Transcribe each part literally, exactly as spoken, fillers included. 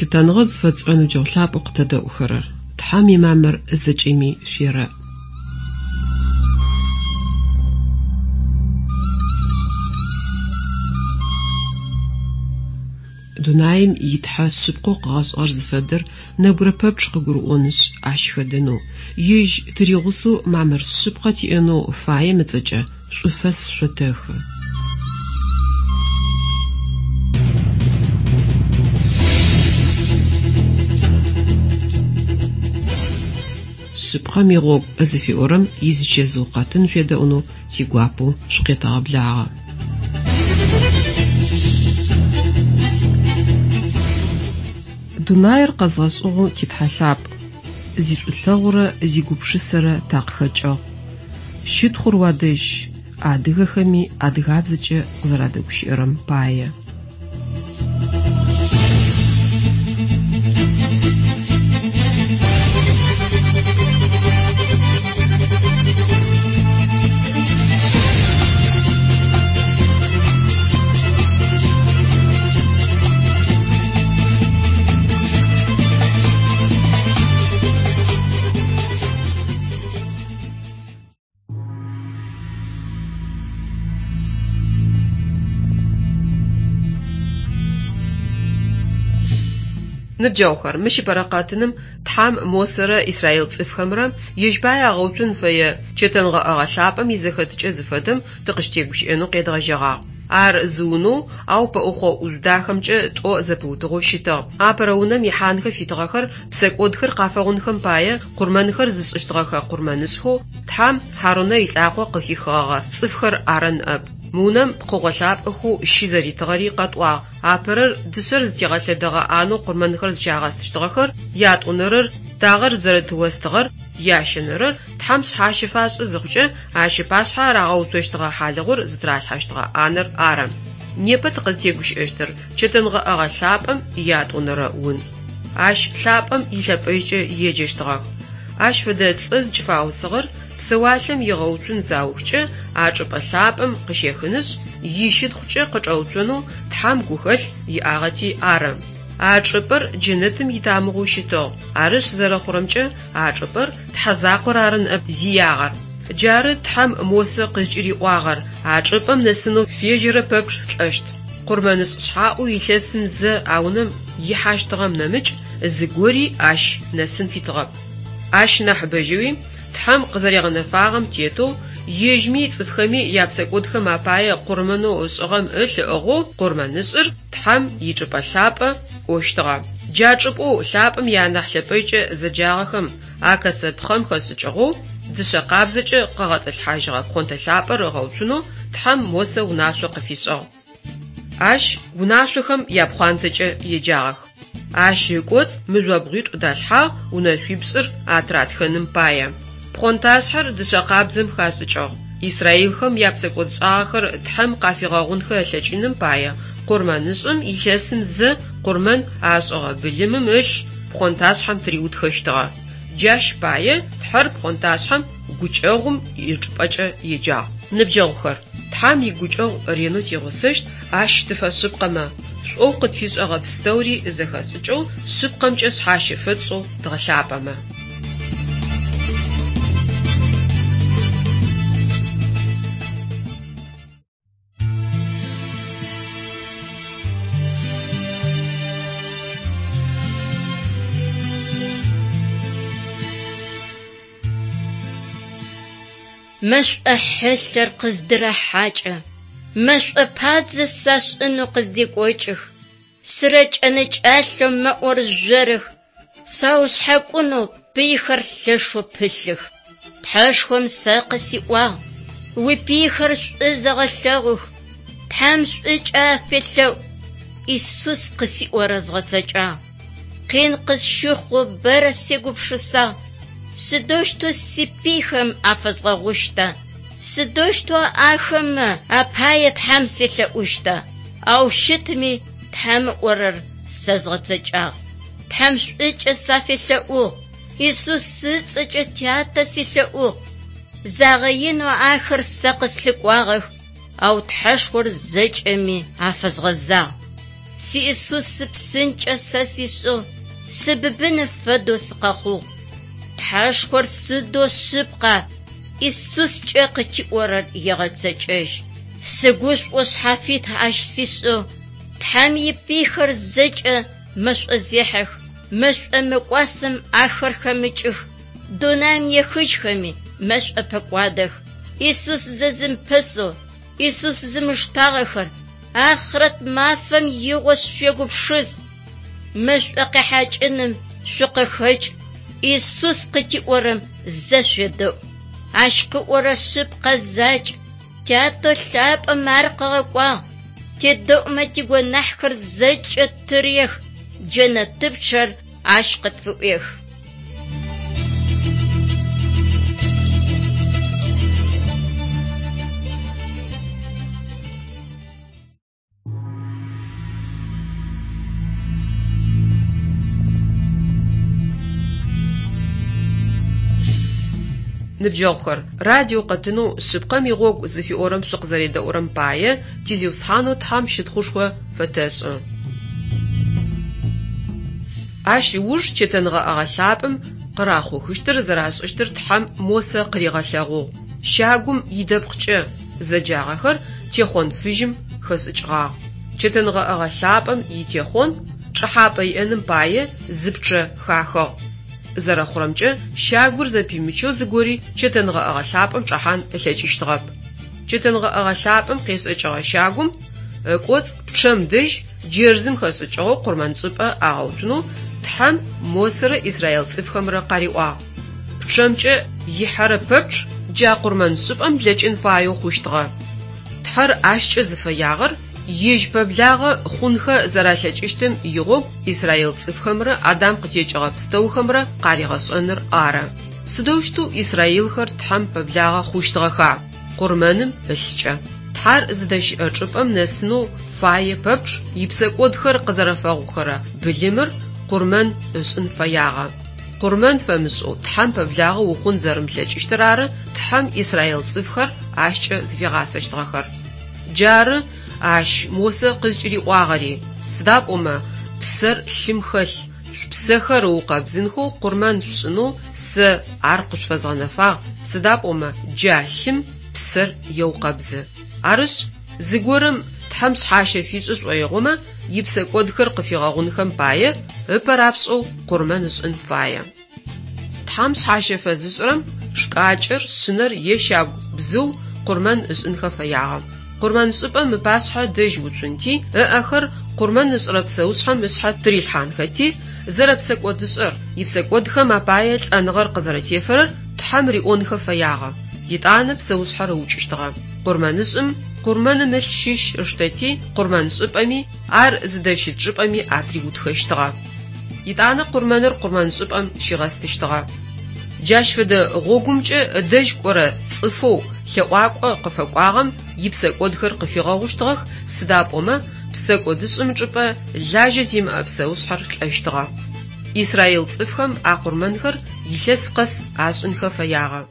Лъытэныгъэ зыфэтшӏырэ ныбджэгъу лъапӏэу къытэдэӏухэрэр, Тхьэм имамыр зэкӏэми шъуерэӏ. Дунаим итхьэ шъыпкъэу къыгъэшӏыгъэр зыфэдэр нэбгырэ пэпчъ къыгурыӏонышъ, ащ хэдэнэу, ежь тыригъусэу мамыр шъыпкъэ тиӏэнэу фаем ыцӏэкӏэ шӏуфэс шъотэхы. Шъыпкъэм игъогу зыфиӏорэм изычэзыу къэтын шъуедэӏунэу тигуапэу шъукъетэгъэблагъэ. Дунаир къэзгъэшӏыгъэу титхьэ лъапӏ, зишӏулъэгъурэ зигупшысэрэ такъыхэкӏыгъ. Щытхъур уадэжь, адыгэхэми адыгабзэкӏэ къызэрадэгущыӏэрэм пае. Ныбджэгъухэр, мыщ ыпэрэ къэтыным Тхьэм Мосэрэ Израил цӏыфхэмрэ ежь пае агъэуцун фэе чэтэнгъэӏэгъэ лъапӏэм изэхэтыкӏэ зыфэдэм тыкъыщытегущыӏэнэу къедгъэжьэгъагъ. Ар зы унэу, ау пэӏухъо ӏужъу дахэмкӏэ тӏо зэпыутыгъэу щытыгъ. Апэрэ унэм ихьанхэ фитыгъэхэр псэкӏодхэр къафэгъунхэм пае къурмэнхэр зышӏыщтыгъэхэ къурмэнышӏхэу Тхьэм Хьарунэ илӏакъо къыхихыгъэгъэ цӏыфхэр ары ныӏэп. Мы унэм пкъыгъо лъапӏэхэу щы зэритыгъэри къэтӏуагъ. Апэрэр дышъэр зытегъэлъэдэгъэ ӏанэу къурмэнхэр зыщагъэстыщтыгъэхэр, ятӏонэрэр дагъэр зэрыт остыгъэр, ящэнэрэр Тхьэм шъхьащэ фашӏы зыхъукӏэ ащ ыпашъхьэ рагъэуцощтыгъэ хьалыгъур зытыралъхьэщтыгъэ ӏанэр ары. Непэ тыкъызтегущыӏэщтыр чэтэнгъэӏэгъэ лъапӏэм ятӏонэрэ ун. Ащ лъапӏэм илъэпӏэжькӏэ еджэщтыгъэх. Ащ фэдэ цӏэ зыкӏыфаусыгъэр псэуалъэм игъэуцун заухкӏэ а чӏыпӏэ лъапӏэм къыщехынышъ, ищытхъукӏэ къычӏэуцонэу Тхьэм гухэлъ иӏагъэти ары. А чӏыпӏэр джэнэтым итамыгъэу щытыгъ. Арышъ зэрэхъурэмкӏэ а чӏыпӏэр Тхьэ закъор ары ныӏэп зиягъэр. Джары Тхьэм Мосэ къызкӏыриӏуагъэр: а чӏыпӏэм нэсынэу фежьэрэ пэпчъ лӏэщт. Къурмэнышӏ шъхьаӏэу илъэсым зэ а унэм ихьащтыгъэм нэмыкӏ зыгори ащ нэсын фитыгъэп. Ащ нахьыбэжьэуи Тхьэм къызэригъэнэфагъэм тетэу ежьми цӏыфхэми япсэкӏодхэм апае къурмэнэу ышӏыгъэм ылъ ыӏыгъэу къурмэнышӏыр Тхьэм ичӏыпӏэ лъапӏэ кӏощтыгъэ. Джа чӏыпӏэу лъапӏэм ианахь лъэпӏэжькӏэ зэджагъэхэм акэцэ пхъэм хэшӏыкӏыгъэу дышъэ къабзэкӏэ къэгъэтӏылъхьажьыгъэ пхъонтэ лъапӏэр ыгъэуцунэу Тхьэм Мосэ унашъо къыфишӏыгъ. Ащ унашъохэм япхъуантэкӏэ еджагъэх. Ащ ыкӏоцӏ мыжъобгъуитӏу далъхьагъ унэшъуипшӏыр атыратхэным пае. Пхъонташъхьэр дышъэ къабзэм хашӏыкӏыгъ. Израилхэм япсэкӏодшӏагъэхэр Тхьэм къафигъэгъунхэ ылъэкӏыным пае къурмэнышӏым илъэсым зэ къурмэн ашӏыгъэ былымым ылъ пхъонташъхьэм тыриутхэщтыгъэ. Джащ пае Тхьэр пхъонташъхьэм гукӏэгъум ичӏыпӏэкӏэ еджагъ. Ныбджэгъухэр, Тхьэм игукӏэгъу ренэу тигъусэщт, ащ тыфэшъыпкъэмэ, шӏоу къытфишӏэгъэ пстэури зэхэшӏыкӏэу, шъыпкъэмкӏэ шъхьащэ фэтшӏэу дгъэлъапӏэмэ. Мэшӏо хьылъэр къыздырахьакӏэ, мэшӏо падзэ сашӏынэу къыздекӏокӏых, сырэкӏэнэкӏалъэу мэӏоржъорых, саушъхьакӏунэу пыйхэр лъэшэу пылъых. Тхьэшхом сэ къысиӏуагъ: уипыйхэр шӏу зэгъэлъэгъух, Тхьэм шӏукӏэ афелъэӏу. Исус къысиӏорэр згъэцэкӏагъ. Къин къысщыхъоу бэрэ сегупшысагъ. Сыдэущтэу сипыйхэм афэзгъэгъущта? Сыдэущтэу ахэмэ апае Тхьэм селъэӏущта? Ау щытми Тхьэм ыӏорэр сэ згъэцэкӏагъ. Тхьэм шӏукӏэ сафелъэӏугъ. Исус ыцӏэкӏэ тятэ селъэӏугъ. Загъэинэу ахэр сэ къыслъыкӏуагъэх, ау Тхьэшхор зэкӏэми афэзгъэзагъ. Си Исус псынкӏэ сэ сишӏыгъ, сыбыбыным фэдэу сыкъэхъугъ. Тхьэшхор сыдэу шъыпкъа, Исускӏэ къытиӏорэр егъэцэкӏэжь. Сыгушӏо шъхьафит ащ сишӏыгъ. Тхьэм ипыйхэр зэкӏэ мэшӏозехьэх, мэшӏо мыкӏуасэм ахэр хэмыкӏых, дунаим ехыжьхэми мэшӏо пэкӏуадэх. Исус зэзымпэсэу, Исус зымыштагъэхэр ахърэт мафэм игъо шъуегупшыс. Мэшӏо къехьакӏыным шъукъыхэкӏ, Исус къытиӏорэм зэ шъуедэӏу. Ащ къыӏорэ шъыпкъэ закӏ, Тятэ лъапӏэм ар къыгъэкӏуагъ. Тедэӏумэ тигонахьхэр зэкӏэ тырех, джэнэтыпчъэр ащ къытфыӏуех. Ныбджэгъухэр, радио къэтынэу шъыпкъэм игъогу зыфиӏорэм шъукъызэредэӏурэм пае тизиусхьанэу Тхьэм щытхъушхо фэтэшӏы. Ащ ыуж чэтэнгъэӏэгъэ лъапӏэм къырахъухыщтыр зэрашӏыщтыр Тхьэм Мосэ къыригъэлъэгъугъ. Щагум идэпкъкӏэ зэджагъэхэр техъон фыжьым хэшӏыкӏыгъагъ. Чэтэнгъэӏэгъэ лъапӏэм итехъон чӏэхьапӏэ иӏэным пае зы пчъэ хахыгъ. Зэрэхъурэмкӏэ, щагур зэпимычэу зыгори чэтэнгъэӏэгъэ лъапӏэм чӏэхьан ылъэкӏыщтыгъэп. Чэтэнгъэӏэгъэ лъапӏэм къешӏэкӏыгъэ щагум ыкӏоцӏ пчъэм дэжь джэрзым хэшӏыкӏыгъэу къурмэншӏыпӏэ агъэуцунэу Тхьэм Мосэрэ Израил цӏыфхэмрэ къариӏуагъ. Пчъэмкӏэ ихьэрэ пэпчъ джа къурмэншӏыпӏэм блэкӏын фаеу хъущтыгъэ. Тхьэр ащкӏэ зыфэягъэр ежь пэблагъэ хъунхэ зэралъэкӏыщтым игъогу Израил цӏыфхэмрэ Адам къытекӏыгъэ пстэухэмрэ къаригъэшӏэныр ары. Сыдэущтэу Израилхэр Тхьэм пэблагъэ хъущтыгъэха? Къурмэным ылъкӏэ. Тхьэр зыдэщыӏэ чӏыпӏэм нэсынэу фае пэпчъ ипсэкӏодхэр къызэрэфэгъухэрэ былымыр къурмэн ышӏын фэягъэ. Къурмэн фэмышӏэу Тхьэм пэблагъэ ухъун зэрымылъэкӏыщтыр ары Тхьэм Израил цӏыфхэр ащкӏэ зыфигъасэщтыгъэхэр. Джары ащ Мосэ къызкӏыриӏуагъэри, сыда пӏомэ псэр лъым хэлъ, шъупсэхэр ыукъэбзынхэу къурмэн шъушӏынэу сэ ар къышъуфэзгъэнэфагъ, сыда пӏомэ джа лъым псэр еукъэбзы. Арышъ, зыгорэм Тхьэм шъхьащэ фишӏы шӏоигъомэ, ипсэкӏодхэр къыфигъэгъунхэм пае ыпэ рапшӏэу къурмэн ышӏын фае. Тхьэм шъхьащэ фэзышӏырэм шкӏакӏэр, шъынэр е щагу бзыу къурмэн ышӏынхэ фэягъэ. Къурмэншӏыпӏэм ыпашъхьэ дэжь уцунти, ыӏэхэр къурмэн ышӏырэ псэушъхьэм ышъхьэ тырилъхьанхэти, зэрэпсэкӏодышӏэр, ипсэкӏодхэм апае лӏэныгъэр къызэрэтефэрэр Тхьэм риӏонхэ фэягъэ. Етӏанэ псэушъхьэр ыукӏыщтыгъэ. Къурмэнышӏым къурмэным ылъ щыщ ыштэти, къурмэншӏыпӏэми, ар зыдэщыт чӏыпӏэми атыриутхэщтыгъэ. Етӏанэ къурмэныр къурмэншӏыпӏэм щигъэстыщтыгъэ. Джащ фэдэ гъогумкӏэ ыдэжь кӏорэ цӏыфэу лъэӏуакӏо къыфэкӏуагъэм ипсэкӏодхэр къыфигъэгъущтыгъэх, сыда пӏомэ псэкӏодышӏым чӏыпӏэ лажьэ зимыӏэ псэушъхьэр лӏэщтыгъэ. Израил цӏыфхэм а къурмэнхэр илъэс къэс ашӏынхэ фэягъэ.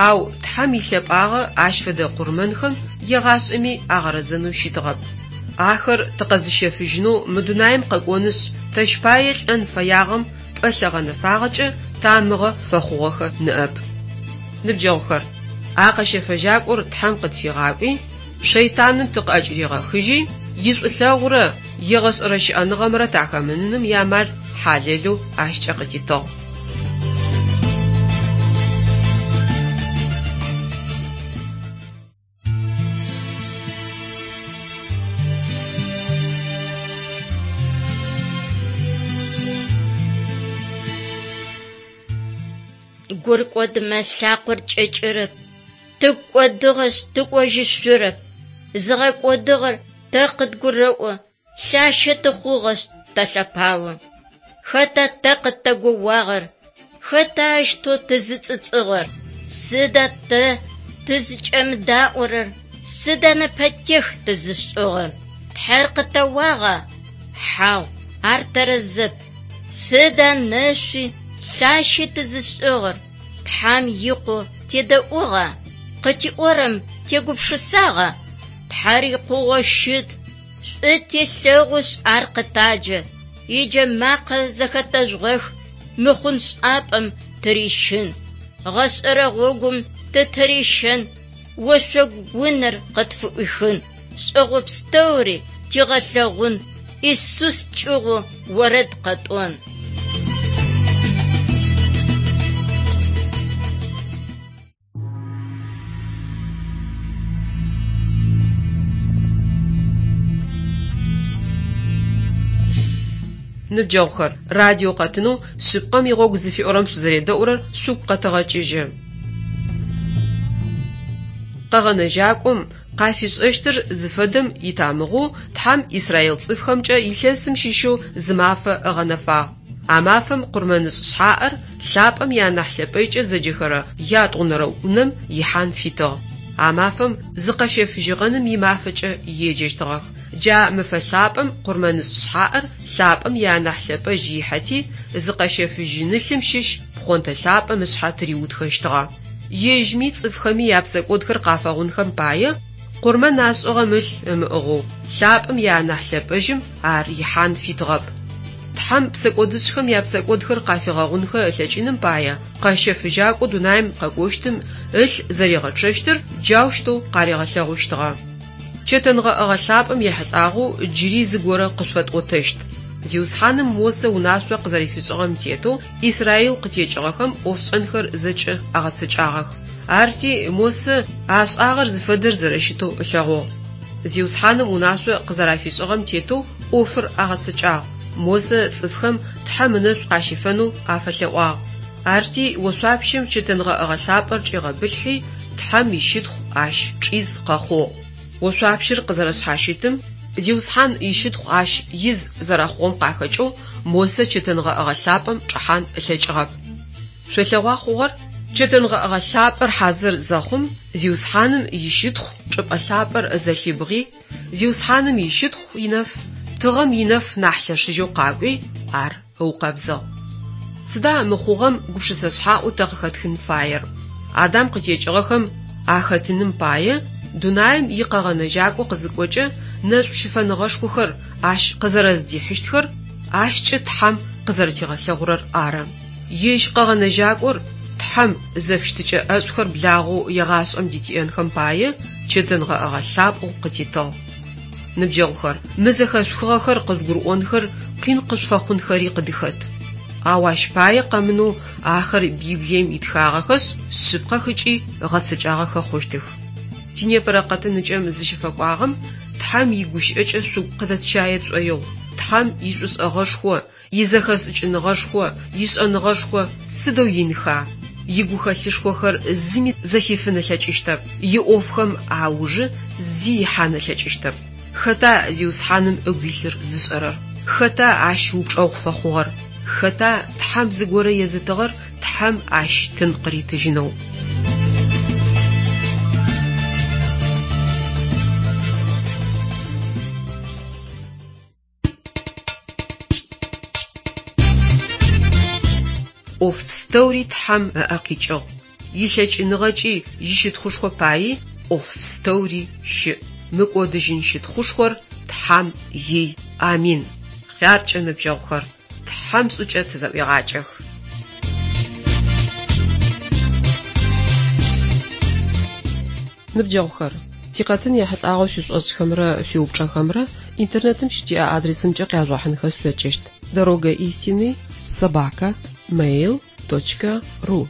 Ау Тхьэм илъэпӏагъэ ащ фэдэ къурмэнхэм егъашӏэми агъэрэзэнэу щытыгъэп. Ахэр тыкъэзыщэфыжьынэу мы дунаим къэкӏонышъ, тэщ пае лӏэн фэягъэм пӏэлъэ гъэнэфагъэкӏэ тамыгъэ фэхъугъэхэ ныӏэп. Ныбджэгъухэр, а къэщэфэжьакӏор Тхьэм къытфигъакӏуи, шэйтаным тыкъыӏэкӏыригъэхыжьи, ишӏулъэгъурэ егъэшӏэрэ щыӏэныгъэмрэ тахэмыныным иамал хьалэлэу ащкӏэ къытитыгъ. Гур кӏодымэ лъакъор кӏэкӏырэп, тыгу кӏодыгъэшъ тыкӏожьышъурэп. Зыгъэкӏодыгъэр тэ къыдгурэӏо, лъащэ тыхъугъэшъ тэлъэпао. Хэта тэ къытэгоуагъэр? Хэта ащтэу тызыцӏыцӏыгъэр? Сыда тэ тызыкӏэмыдаӏорэр? Сыда нэпэтех тызышӏыгъэр? Тхьэр къытэуагъа? Хьау, ар тэрэзэп. Сыда нэшъуи лъащи тызышӏыгъэр? Тхьэм икъу тедэӏугъа? Къытиӏорэм тегупшысагъа? Тхьэр икъугъэу щыт, Шӏу телъэгъушъ ар къытаджэ, иджэмакъэ зэхэтэжъугъэх, мыхъун шӏапӏэм тырищын. Гъэшӏэрэ гъогум тытырищэн, ошъогу унэр къытфыӏуихын, шӏэгъо пстэури тигъэлъэгъун, Исус кӏыгъу орэд къэтӏон. Ныбджэгъухэр, радио къэтынэу шъыпкъэм игъогу зыфиӏорэм шъузэредэӏурэр шъугу къэтэгъэкӏыжьы. Къэгъэнэжьакӏом къафишӏэщтыр зыфэдэм итамыгъэу Тхьэм Израил цӏыфхэмкӏэ илъэсым щыщэу зы мафэ ыгъэнэфагъ. А мафэм къурмэнышӏ шъхьаӏэр лъапӏэм ианахь лъэпӏэкӏэ зэджэхэрэ ятӏонэрэ унэм ихьан фитыгъ. А мафэм зыкъэщэфыжьыгъэным имафэкӏэ еджэщтыгъэх. Джа мэфэ лъапӏэм къурмэнышӏ шъхьаӏэр лъапӏэм ианахь лъэпӏэжь ихьэти, зыкъэщэфыжьынылъым щыщ пхъонтэ лъапӏэм ышъхьэ тыриутхэщтыгъэ. Ежьми цӏыфхэми япсэкӏодхэр къафэгъунхэм пае къурмэн ашӏыгъэм ылъ ымыӏыгъэу лъапӏэм ианахь лъэпӏэжьым ар ихьан фитыгъэп. Тхьэм псэкӏодышӏхэм япсэкӏодхэр къафигъэгъунхэ ылъэкӏыным пае къэщэфыжьакӏо дунаим къэкӏощтым ылъ зэригъэчъэщтыр джаущтэу къаригъэлъэгъущтыгъэ. Чэтэнгъэӏэгъэ лъапӏэм ехьылӏагъэу джыри зыгорэ къышъуфэтӏотэщт. Зиусхьаным Мосэ унашъо къызэрэфишӏыгъэм тетэу Израил къытекӏыгъэхэм ӏофшӏэнхэр зэкӏэ агъэцэкӏагъэх. Арти Мосэ ашӏагъэр зыфэдэр зэрэщытэу ылъэгъугъ. Зиусхьаным унашъо къызэрафишӏыгъэм тетэу ӏофыр агъэцэкӏагъ. Мосэ цӏыфхэм Тхьэм ынэшӏу къащифэнэу афэлъэӏуагъ. Арти ошъуапщэм чэтэнгъэӏэгъэ лъапӏэр чӏигъэбылъхьи, Тхьэм ищытхъу ащ чӏиз къэхъугъ. Ошъуапщэр къызэрэшъхьащытым, Зиусхьан ищытхъу ащ из зэрэхъугъэм къахэкӏэу Мосэ чэтэнгъэӏэгъэ лъапӏэм чӏэхьан ылъэкӏыгъэп. Шъолъэгъуа хъугъэр? Чэтэнгъэӏэгъэ лъапӏэр хьазыр зэхъум, Зиусхьаным ищытхъу чӏыпӏэ лъапӏэр зэлъибгъи, Зиусхьаным ищытхъу инэф, тыгъэм инэф нахь лъэшыжьэу къакӏуи, ар ыукъэбзыгъ. Сыда мыхъугъэм гупшысэ шъхьаӏэу тэ къыхэтхын фаер? Адам къытекӏыгъэхэм ахэтыным пае дунаим икъэгъэнэжьакӏо къызыкӏокӏэ нэшӏу щыфэныгъэшхохэр ащ къызэрэздихьыщтхэр ащкӏэ Тхьэм къызэрэтигъэлъэгъурэр ары. Ежь къэгъэнэжьакӏор Тхьэм зэфыщытыкӏэ ӏэшӏухэр благъэу егъашӏэм дытиӏэнхэм пае чэтэнгъэӏэгъэ лъапӏэу къытитыгъ. Ныбджэгъухэр, мы зэхэшъухыгъэхэр къыжъугурыӏонхэр къин къышъуфэхъунхэри къыдыхэт. Ау ащ пае къэмынэу ахэр Библием итхагъэхэшъ, шъыпкъэх ыкӏи гъэцэкӏагъэхэ хъущтых. Тинепэрэ къэтыныкӏэм зыщыфэкӏуагъэм Тхьэм игущыӏэкӏэ шъугу къыдэтщае тшӏоигъу. Тхьэм ишӏушӏэгъэшхо, изэхэшӏыкӏыныгъэшхо, ишӏэныгъэшхо сыдэу инха? Игухэлъышхохэр зыми зэхифын ылъэкӏыщтэп, иӏофхэм аужы зи ихьан ылъэкӏыщтэп. Хэта Зиусхьаным ыгу илъыр зышӏэрэр? Хэта ащ упчӏэгъу фэхъугъэр? Хэта Тхьэм зыгорэ езытыгъэр Тхьэм ащ тын къыритыжьынэу? Ӏоф пстэури Тхьэм ыӏэ къикӏыгъ. Илъэкӏыныгъэкӏи ищытхъушхо паи ӏоф пстэури щыӏ. Мыкӏодыжьын щытхъушхор Тхьэм ий. Амин. Хъяркӏэ ныбджэгъухэр, Тхьэм шӏукӏэ тызэӏуегъакӏэх. Ныбджэгъухэр, тикъэтын ехьылӏагъэу шъуишӏошӏхэмрэ шъуиупчӏэхэмрэ интернетым щытиӏэ адресымкӏэ къяжъугъэхьынхэ шъулъэкӏыщт: дорога истины собака mail точка ру.